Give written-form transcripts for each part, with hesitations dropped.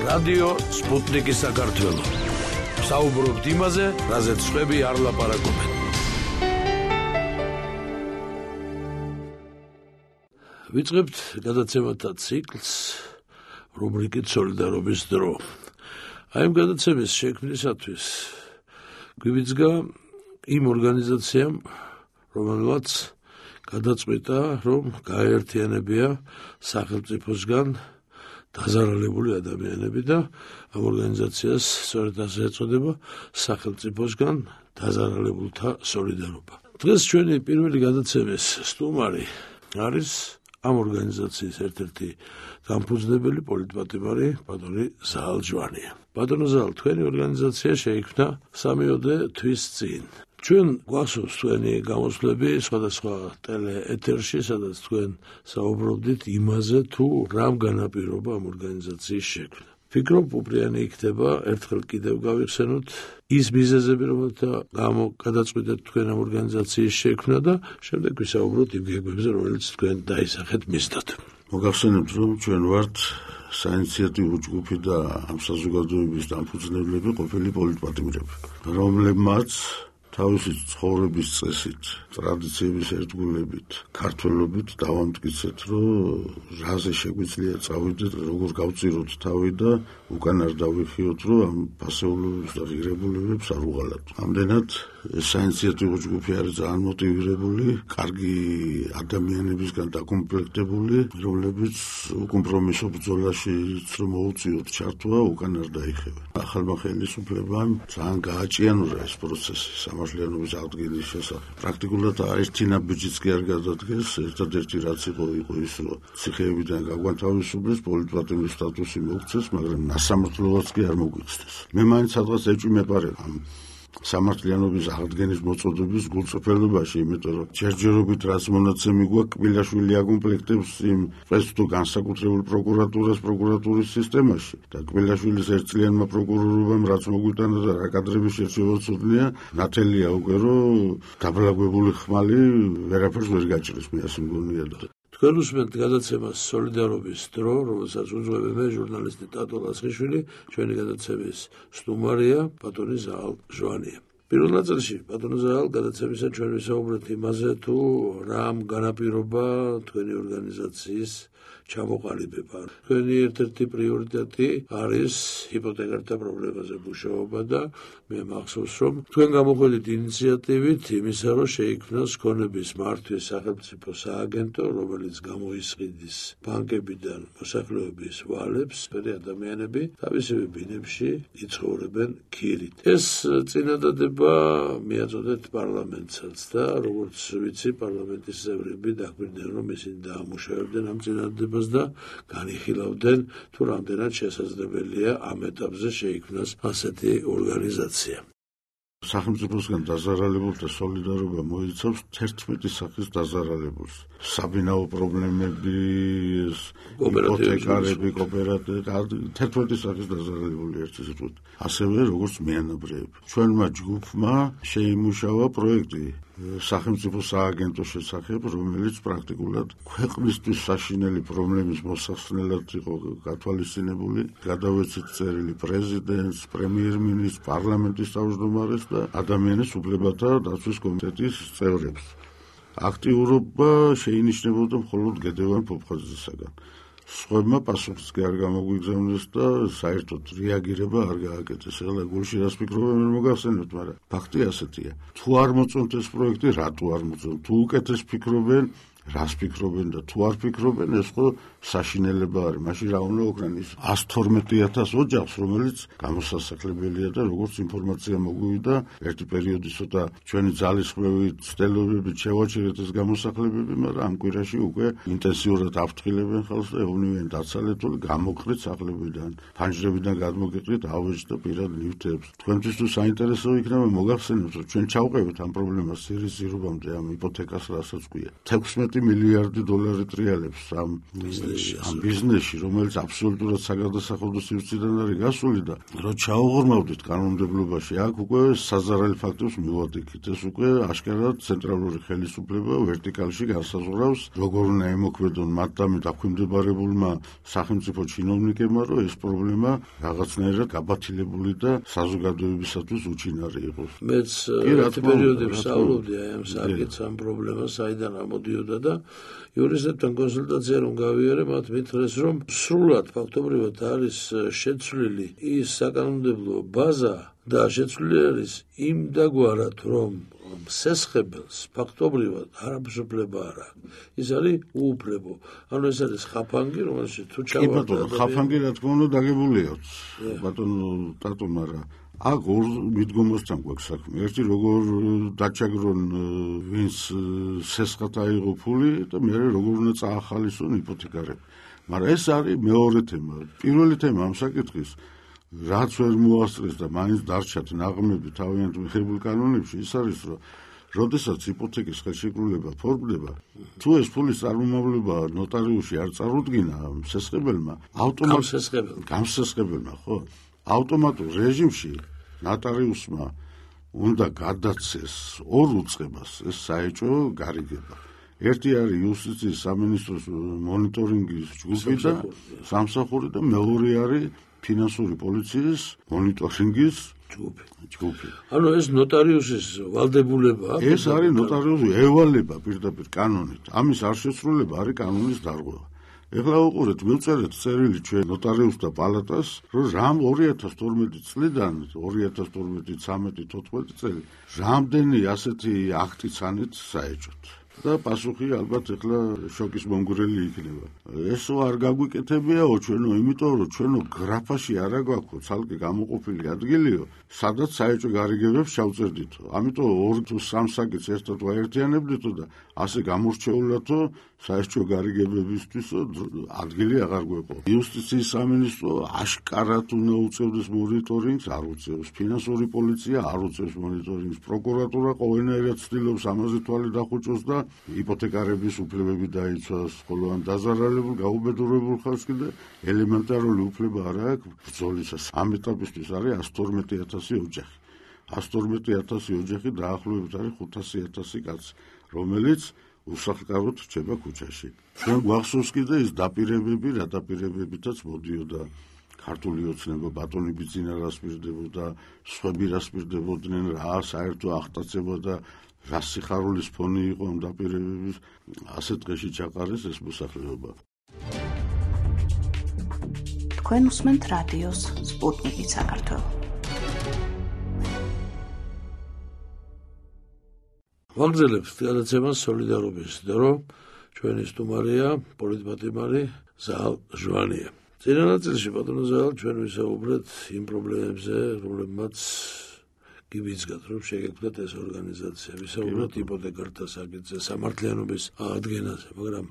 რადიო სპუტნიკი საქართველო. საუბრობთ იმაზე, რაზეც სხვები არ ლაპარაკობენ. ვიწყებთ გადაცემათა ციკლს რუბრიკით სოლიდარობის დრო. აი ამ გადაცემის შექმნისათვის გვივიძგა იმ ორგანიზაციამ, რომელმაც გადაწყვიტა, რომ გაეერთიანებია სახელმწიფოსგან დაზარალებული ადამიანები და ამ ორგანიზაციას სწორედ ასე ეწოდება სახელმწიფოსგან დაზარალებულთა სოლიდარობა. დღეს ჩვენი პირველი გადაცემის სტუმარი არის ამ ორგანიზაციის ერთ-ერთი დამფუძნებელი პოლიტპატიმარი ბატონი ზაალ ჟვანია. ბატონო ზაალ, თქვენი ორგანიზაცია შეიქმნა 3-ოდე თვის წინ. ჩვენ გვახსოვს თქვენი გამოსვლები სხვადასხვა ტელეეთერში, სადაც თქვენ საუბრობდით იმაზე, თუ რამ განაპირობა ამ ორგანიზაციის შექმნა. ვფიქრობ, უპრიანი იქნება ერთხელ კიდევ გავიხსენოთ ის მიზეზები, რომელთა გამო გადაწყვიტეთ თქვენ ამ ორგანიზაციის შექმნა და შემდეგ ვისაუბროთ იმ გეგმებზე, რომელიც თქვენ დაისახეთ მისდათ. მოგახსენებთ, რომ ჩვენ ვართ საინიციატივო ჯგუფი და ამ საზოგადოების დამფუძნებლები ყოფილი პოლიტპატიმრები, რომლებმაც თავისი ცხოვრების წესით, ტრადიციების ერთგულებით, ქართველობით დავამტკიცეთ, რომ რაზე შეგვიძლია წავიდეთ, როგორ გავწიროთ თავი და უკან არ დავიხიოთ, რომ ამ ფასეულობებს და ღირებულებებს არ უღალატოთ. ამდენად საინიციატივო ჯგუფი არის ძალიან მოტივირებული, კარგი ადამიანებისგან დაკომპლექტებული, რომლებიც უკომპრომისო ბრძოლაში რომ მოუწიოთ ჩართვა, უკან არ დაიხევენ. ახალმა ხელისუფლებამ ძალიან გააჭიანურა ეს პროცესი სამართლიანობის აღდგენის შესახებ. პრაქტიკულად ერთი ნაბიჯიც კი არ გადადგეს, ერთადერთი რაც იყო ის, რომ ციხეებიდან გაგვანთავისუფლეს, პოლიტპატიმრის სტატუსი მოუქცეს, მაგრამ სასამართლოც კი არ მოგვიწდეს. მე მაინც სადღაც ეჭვი მეპარება ამ სამართლიანობის აღდგენის მოწოდების გულწრფელობაში, იმიტომ რომ ჯერჯერობით რაც მონაცემი გვაქვს, კბილაშვილი აკომპლექტებს იმ წესს თუ განსაკუთრებულ პროკურატურის სისტემაში და კბილაშვილის ერთწლიანმა პროკურორობამ რაც მოგვიტანა და რა კადრების შეჩევაცოდნია, ნათელია უკვე რომ დაბლაგვებული ხმალი ვერაფერს ვერ გაჭრის, მე ასე მგონია და თქვენ უსმენთ გადაცემას სოლიდარობის დრო, რომელსაც უძღვები მე, ჟურნალისტი ტატო ლაცხიშვილი, ჩვენი გადაცემის სტუმარია ბატონი ზაალ ჟვანია. პირველ ნაწილში ბატონო ზაალ, გადაცემისა ჩვენ ვისაუბრეთ იმაზე, თუ რამ განაპირობა თქვენი ორგანიზაციის ჩამოყალიბება. თქვენი ერთ-ერთი პრიორიტეტი არის ჰიპოთეკართა პრობლემაზე მუშაობა და მე მახსოვს, რომ თქვენ გამოხდით ინიციატივით იმისა, რომ შეიქმნას ქონების მართვის სახელმწიფო სააგენტო, რომელიც გამოისყიდის ბანკებიდან მოსახლეობის ვალებს, მერე ადამიანები თავისივე ბინებში იცხოვრებენ ქირით. ეს წინადადება მიაწოდეთ პარლამენტსაც და როგორც ვიცი, პარლამენტის წევრები დაგვირდნენ, რომ ისინი დაამუშავებდნენ ამ წინადადებას და განიხილავდნენ, თუ რამდენად შესაძლებელია ამ ეტაპზე შეიქმნას ასეთი ორგანიზაცია. სახელმწიფოსგან დაზარალებულთა სოლიდარობა მოიცავს 11 სახის დაზარალებულს. საბინაო პრობლემები, იპოთეკარები, კოოპერატივები, 11 სახის დაზარალებული ერთი სიტყვით. ასევე როგორც მიანაბრეები. ჩვენმა ჯგუფმა შეიმუშავა პროექტი სახელმწიფო სააგენტოს შესახებ, რომელიც პრაქტიკულად ქვეყნისთვის საშინელი პრობლემის მოსახსნელად იყო გათვალისწინებული. გადავეცეთ წერილი პრეზიდენტს, პრემიერ-მინისტრს, პარლამენტის თავმჯდომარეს და ადამიანის უფლებათა დაცვის კომიტეტის წევრებს. აქტიურობა შეინიშნებოდა მხოლოდ გედევან ფოფხაძესაგან. სხვებმა პასუხიც კი არ გამოგვიგზავნეს და საერთოდ რეაგირება არ გააკეთეს. ეხლა გულში რას ფიქრობენ ვერ მოგახსენებთ, მაგრამ ფაქტი ასეთია. თუ არ მოწონთ ეს პროექტი, რატო არ მოწონთ? თუ უკეთეს ფიქრობენ, რას ფიქრობენ და თუ არ ფიქრობენ, ეს ხო საშინელება არის. მაშინ რა უნდა ოქრან ის 112,000 ოჯახს, რომელიც გამოსასახლებელია და როგორც ინფორმაცია მოგვივიდა, ერთი პერიოდი ცოტა ჩვენი ძალისხმევით, ცდელობებით შევაჩერეთ ეს გამოსახლებები, მაგრამ ამ კვირაში უკვე ინტენსიურად ავთხილებენ ხალხს და ეუბნებიან დაცალეთული გამოყრით სახლებიდან, ფანჯრებიდან გადმოგეყრით ავეჯს და პირად ნივთებს. თქვენთვის თუ საინტერესო იქნება, მოგახსენებთ, რომ ჩვენ ჩავყევით ამ პრობლემას სირიის ზირობამდე ამ იპოთეკას, რასაც ქვია. 16 1 მილიარდი დოლარი ტრიალებს ამ ბიზნესში, რომელიც აბსოლუტურად საგადასახადო სივრციდან არის გასული და რო ჩაუღრმავდით კანონმდებლობაში, აქ უკვე საზარელი ფაქტებს მივადიქით. ეს უკვე აშკარად ცენტრალური ხელისუფლება ვერტიკალში განსაზღვრავს, როგორ უნდა ემოქმედონ მათ და დაქვემდებარებულმა სახელმწიფო ჩინოვნიკებმა, რომ ეს პრობლემა რაღაცნაირად გაბათილებული და საზოგადოებისათვის უჩინარი იყოს. მეც ერთ პერიოდებში ვსაუბრობდი აი ამ საკითხს, ამ პრობლემას, საიდან ამოდიოდა და იურისტებთან კონსულტაცია რომ გავიარე, მათ მითხრეს, რომ სრულად ფაქტობრივად არის შეცვლილი ის საკანონმდებლო ბაზა და შეცვლილი არის იმდაგვარად, რომ სესხებელს ფაქტობრივად არაფერს უფლება არ აქვს. ის არის უუფლებო. ანუ ეს არის ხაფანგი, რომელშიც თუ ჩავარდა. ხაფანგი რა თქმა უნდა დაგებულია. ბატონო ტატო, მაგრამ აქ ორ მიდგომასთან გვაქვს საქმე. ერთი როგორ დაჩაგრონ ვინც სესხად აიღო ფული და მეორე როგორ უნდა წაახალისონ იპოთეკარები. მაგრამ ეს არის მეორე თემა. პირველი თემა ამ საკითხის რაც ვერ მოასწრეს და მაინც დარჩათ ნაღმები თავიანთ მიღებულ კანონებში, ის არის, რომ როდესაც იპოთეკის ხელშეკრულება ფორმდება, თუ ეს ფულის წარმომავლობა ნოტარიუსში არ წარუდგინა სესხებელმა, გამსესხებელმა, ხო? ავტომატურ რეჟიმში ნოტარიუსმა უნდა გადაცეს ორ უწყებას ეს საეჭვო გარიგება. ერთი არის იუსტიციის სამინისტროს მონიტორინგის ჯგუფი და სამსახური და მეორე არის ფინანსური პოლიციის მონიტორინგის ჯგუფი. ანუ ეს ნოტარიუსის ვალდებულებაა. ეს არის ნოტარიუსი ევალება პირდაპირ კანონით. ამის არ შესრულება არის კანონის დარღვევა. ეხლა უყურეთ, მივწერეთ წერილი ჩვენ ნოტარიუსთა პალატას, რომ რამ 2012 წლიდან 2012-13-14 წელი რამდენი ასეთი აქტი ცანით საეჭვოდ. და პასუხი ალბათ ეხლა შოკის მომგვრელი იქნება. ესო არ გაგვიკეთებიაო ჩვენო, იმიტომ რომ ჩვენო გრაფაში არა გვაქვს ცალკე გამოყოფილი ადგილიო, სადაც საეჭვო გარიგებებს ჩავწერდითო. ამიტომ 2 თუ 3 საკითხს ერთად ვაერთიანებდითო და ასე გამორჩეულათო საეჭვო გარიგებებისთვისო ადგილი აღარ გვეყო. იუსტიციის სამინისტრო აშკარად უნდა უწევდეს მონიტორინგს, არ უწევს. ფინანსური პოლიცია არ უწევს მონიტორინგს. პროკურატურა ყოველნაირად ცდილობს ამაზე თვალი დახუჭოს და იპოთეკარების უფლებები დაიცვას, ხოლო ამ დაზარალებულ გაუბედურებულ ხალხს კიდე ელემენტარული უფლება არ აქვს ბრძოლისას. ამ ეტაპისთვის არის 112,000 ოჯახი. 112,000 ოჯახი დაახლოებით არის 500,000 კაცი, რომელიც უსახლკაროდ რჩება ქუჩაში. ჩვენ გვახსოვს კიდე ის დაპირებები, რა დაპირებებითაც მოდიოდა ქართული ოცნება, ბატონი ბიძინა რას პირდებოდა, სხვები რას პირდებოდნენ, რა საერთო აღტაცება და რა სიხარულის ფონი იყო ამ დაპირებების, ასე დღეში ჩაყარეს ეს მოსახლეობა. თქვენ უსმენთ რადიოს სპუტნიკი საქართველო. ვაგრძელებთ გადაცემას სოლიდარობის დრო, ჩვენი სტუმარია პოლიტმატიმარი ზაალ ჟვანია. წინა ნაწილში ბატონო ზაალ ჩვენ ვისაუბრეთ იმ პრობლემებზე, რომლებმაც გიბიძგათ, რომ შეგექმნათ ეს ორგანიზაცია, ვისაუბრეთ იპოთეკართა საკითხზე, სამართლიანობის აღდგენაზე, მაგრამ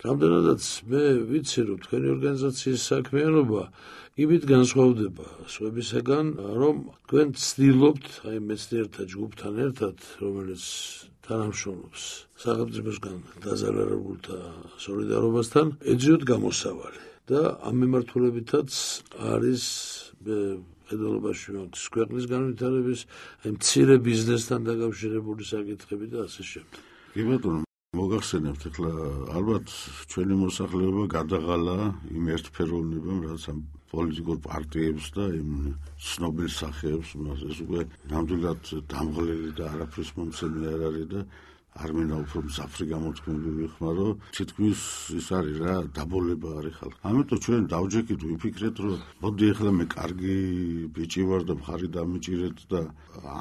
რამდენადაც მე ვიცი, რომ თქვენი ორგანიზაციის საქმიანობა იმით განსხვავდება სხვებისაგან, რომ თქვენ ცდილობთ, აი მეცნიერთა ჯგუფთან ერთად, რომელიც თანამშრომლობს სახელმწიფოსგან დაზარალებულთა სოლიდარობასთან, ეძიოთ გამოსავალი და ამ მიმართულებითაც არის ედოლობაში მაქვს ქვეყნის განვითარების, აი მცირე ბიზნესთან დაკავშირებული საკითხები და ასე შემდეგ. კი ბატონო, მოგახსენებთ, ეხლა ალბათ ჩვენი მოსახლეობა გადაღალა იმ ერთფეროვნებამ, რაც ამ პოლიტიკურ პარტიებს და იმ ცნობილ სახეებს, ეს უკვე ნამდვილად დამღლელი და არაფრის მომცემი არ არის და არ მინდა უფრო მძაფრი გამოთქმები ვიხმარო, თითქმის ის არის რა, დაბოლება არის ხალხი. ამიტომ ჩვენ დავჯექით, ვიფიქრეთ, რომ მოდი ეხლა მე კარგი ბიჭი ვარ და მხარი დამიჭირეთ და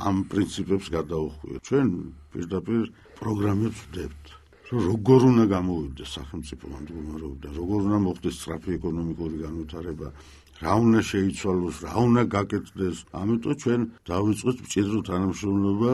ამ პრინციპებს გადავხვიოთ. ჩვენ პირდაპირ პროგრამებს ვდებთ. როგორ უნდა გამოვიდეს სახელმწიფო ამ მდგომარეობიდან, როგორ უნდა მოხდეს სწრაფი ეკონომიკური განვითარება, რა უნდა შეიცვალოს, რა უნდა გაკეთდეს. ამიტომ ჩვენ დავიწყეთ მჭიდრო თანამშრომლობა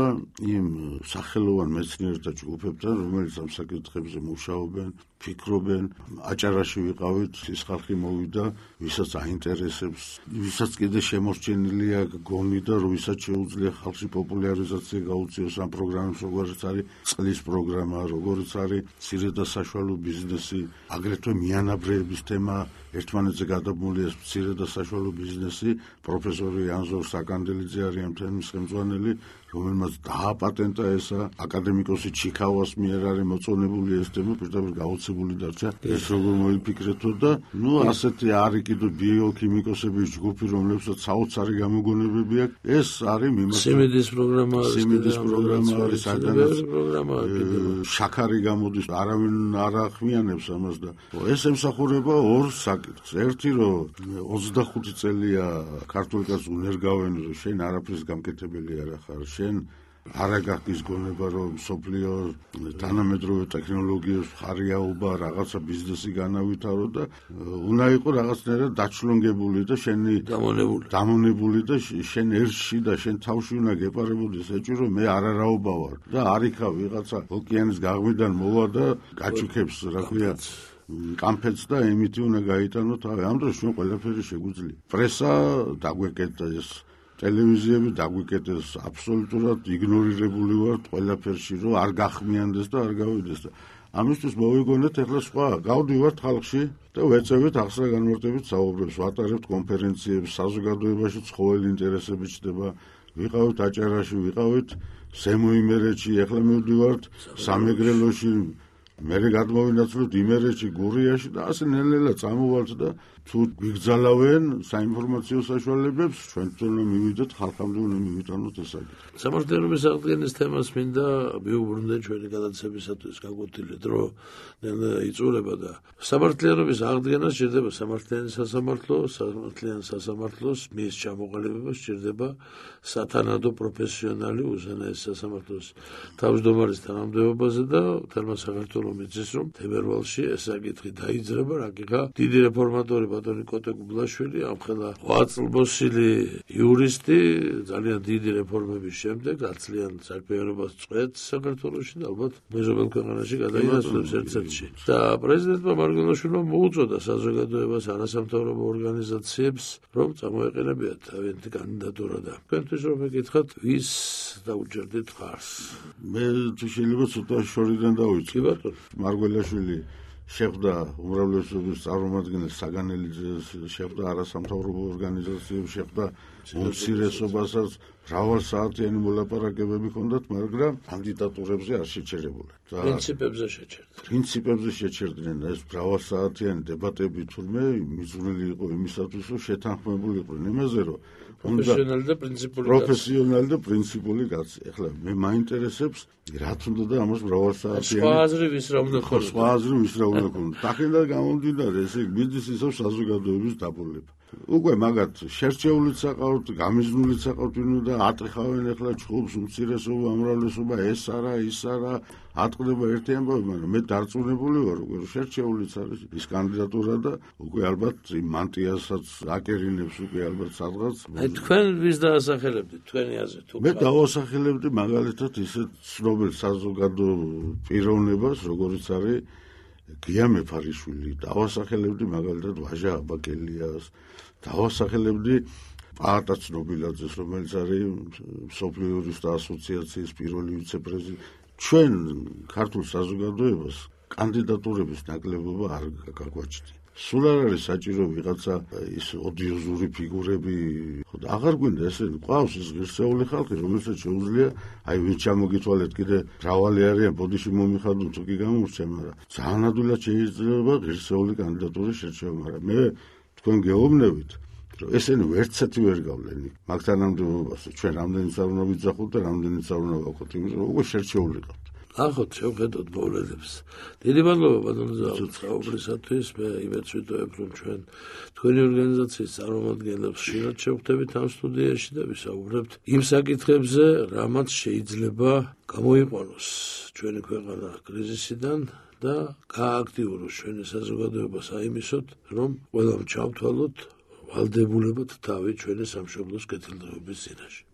იმ სახელოვან მეცნიერთა ჯგუფებთან, რომელიც ამ საკითხებზე მუშაობენ, ფიქრობენ. აჭარაში ვიყავით, ის ხალხი მოვიდა, ვისაც აინტერესებს, ვისაც კიდე შემორჩენილია გონი და ვისაც შეუძლია ხალხში პოპულარიზაცია გაუწიოს ამ პროგრამებს, როგორც არის წყლის პროგრამა, როგორც არის მცირე და საშუალო ბიზნესი, აგრეთვე მიანაბრეების თემა. ერთმანეთზე გადაბმულია მცირე და საშუალო ბიზნესი. პროფესორი ანზორ საკანდელიძე არის ამ თემის ხელმძღვანელი, რომელმაც დააპატენტა ესა. აკადემიკოსი ჩიქავას მიერ არის მოწონებული ეს თემა, პირდაპირ გაოცებული დარჩა. ეს როგორ მოიფიქრეთო და ასეთი არის კიდე ბიოქიმიკოსების ჯგუფი, რომლებსაც საოცარი გამოგონებები აქვს. ეს არის სიმინდის პროგრამა არის, სადაც შაქარი გამოდის, არავინ არ ახმიანებს ამას და ეს ემსახურება ორ საკითხს. ერთი რომ 25 წელია ქართული კაცს უნერგავენ, რომ შენ არაფრის გამკეთებელი არ ახარ, შენ არა გაქვს გონება რომ სოფლიო თანამედროვე ტექნოლოგიებს ხარიაობა რაღაცა ბიზნესი განავითარო და უნდა იყოს რაღაცნაირად დაჩლონგებული და შენი დამონებული და შენ ერთში და შენ თავში უნდა გეპარებოდეს ეჭვი რომ მე არარაობა ვარ და არიქა ვიღაცა ოკეანის გაღმიდან მოვა და გაჩუქებს რა ქვია კამფეთს და ემითი უნდა გაიტანო თავი. ამ დროს ჩვენ ყველაფერი შეგვიძლია. პრესა დაგვეკეტა ეს ტელევიზიები დაგვიკეტეს აბსოლუტურად იგნორირებული ვართ ყველაფერში რომ არ გახმიანდეს და არ გავიდეს და ამისთვის მოვიგონეთ ახლა სხვა გავდივართ ხალხში და ვეწევით ახსნა განმარტებით საუბრებს, ვატარებთ კონფერენციებს, საზოგადოებაში ცხოველი ინტერესები ჩდება, ვიყავით აჭარაში, ვიყავით ზემო იმერეთში, ახლა მივდივართ სამეგრელოში, მერე გადმოვინაცვლოთ იმერეთში, გურიაში და ასე ნელ-ნელა წამოვალთ და თუ გვიგზალავენ საინფორმაციო საშუალებებს, ჩვენ თვითონ მივიდეთ ხალხამდე უნდა მივიტანოთ ეს საკითხი. სამართლიანობის აღდგენის თემას მინდა მიუბრუნდე ჩვენი გადაცემისათვის გაკვეთილი დრო ნელ-ნელა იწურება და სამართლიანობის აღდგენა სჭირდება სამართლიანი სასამართლო, სამართლიან სასამართლოს მის ჩამოყალიბება სჭირდება სათანადო პროფესიონალი უზენაეს სასამართლოს თავმჯდომარის თანამდებობაზე და თერმა საქართველოს მიწის რომ თებერვალში ეს საკითხი დაიძრება, რაკიღა დიდი რეფორმატორი ბატონი კოტე გუბლაშვილი ამხელა 8 წლბოსილი იურისტი ძალიან დიდი რეფორმების შემდეგ აცლიან საქმიანობას წვეთს საქართველოში და ალბათ მეზობელ ქვეყანაში გადაინაცვლებს ერთ-ერთში. და პრეზიდენტმა მარგველაშვილმა მოუწოდა საზოგადოებას არასამთავრობო ორგანიზაციებს რომ წამოეყენებიათ თავიანთი კანდიდატურა და თქვენთვის რომ მეკითხათ ვის დაუჯერდით ხარს. მე თუ შეიძლება ცოტა შორიდან დავიწყო. კი ბატონო. მარგველაშვილი შეხვდა უმრავლესობის წარმომადგენელს საგანელიძეს, შეხვდა არასამთავრობო ორგანიზაციებს, შეხვდა უმცირესობასაც, მრავალსაათიანი მოლაპარაკებები ჰქონდათ, მაგრამ კანდიდატურებზე არ შეჩერებულა. პრინციპებზე შეჩერდნენ ეს მრავალსაათიანი დებატები, თურმე მიძღვნილი იყო იმისათვის, რომ შეთანხმებული იყვნენ იმაზე, რომ პროფესიონალი და პრინციპული კაცი. ეხლა მე მაინტერესებს რა თუნდა და ამას მრავალსაათიანი სხვა აზრი ვის რა უნდა ქონდეს. სხვა აზრი ვის რა უნდა ქონდეს. დახინდა გამომდინარე ესე ბიზნეს ისევ საზოგადოების დაბოლება. უკვე მაგათ შერჩეულიც საყავთ, გამიზნულიც საყავთ, და ატყიხავენ ახლა ჩხუბს უმცირესობა, ამრავლესობა, ეს არა, ის არა, ატყდება ერთი ამბავი, მაგრამ მე დარწმუნებული ვარ, უკვე შერჩეულიც არის ის კანდიდატურა და უკვე ალბათ მანტიასაც აკერინებს უკვე ალბათ სადღაც. აი თქვენ ვის დაასახელებდით, თქვენი აზრით? მე დავასახელებდი მაგალითად ისეთ ცნობილ საზოგადო პიროვნებას, როგორიც არის გია მეფარიშვილი, დავასახელებდი მაგალითად ვაჟა აბაკელიას, დავასახელებდი პაატა ცნობილაძეს, რომელიც არის მსოფლიო იურისტთა ასოციაციის პირველი ვიცე-პრეზიდენტი. ჩვენ ქართულ საზოგადოებას კანდიდატურების ნაკლებობა არ გაგვაჩნია. სულ არ არის საჭირო ვიღაცა ის ოდიოზური ფიგურები, ხოდა აღარ გვინდა ესე ყავს ის ღირსეული ხალხი, რომელსაც შეუძლია აი ვინც ჩამოგითვალეთ კიდე მრავალი არიან ბოდიში მომიხადონ თუ კი გამორჩა, მაგრამ ძალიან ადვილად შეიძლება ღირსეული კანდიდატურის შერჩევა, მაგრამ მე თქვენ გეუბნებით რომ ესენი ვერცეთი ვერ გავლენ მაგ თანამდებობაზე. ჩვენ რამდენიც არ უნდა ვიძახოთ და რამდენიც არ უნდა ვაკოთ, იმიტომ რომ უკვე შერჩეული ყავთ. ახოთ შევხედოთ მოვლენებს. დიდი მადლობა ბატონო საუბრისათვის. მე იმედს ვიტოვებ რომ ჩვენ თქვენი ორგანიზაციის წარმომადგენლებს ხშირად შევხვდებით ამ სტუდიაში და ვისაუბრებთ იმ საკითხებზე, რამაც შეიძლება გამოიყვანოს ჩვენი ქვეყანა კრიზისიდან და გააქტიუროს ჩვენი საზოგადოება საიმისოდ, რომ ყველამ ჩავთვალოთ ვალდებულებად თავი ჩვენი სამშობლოს კეთილდღეობის წინაშე.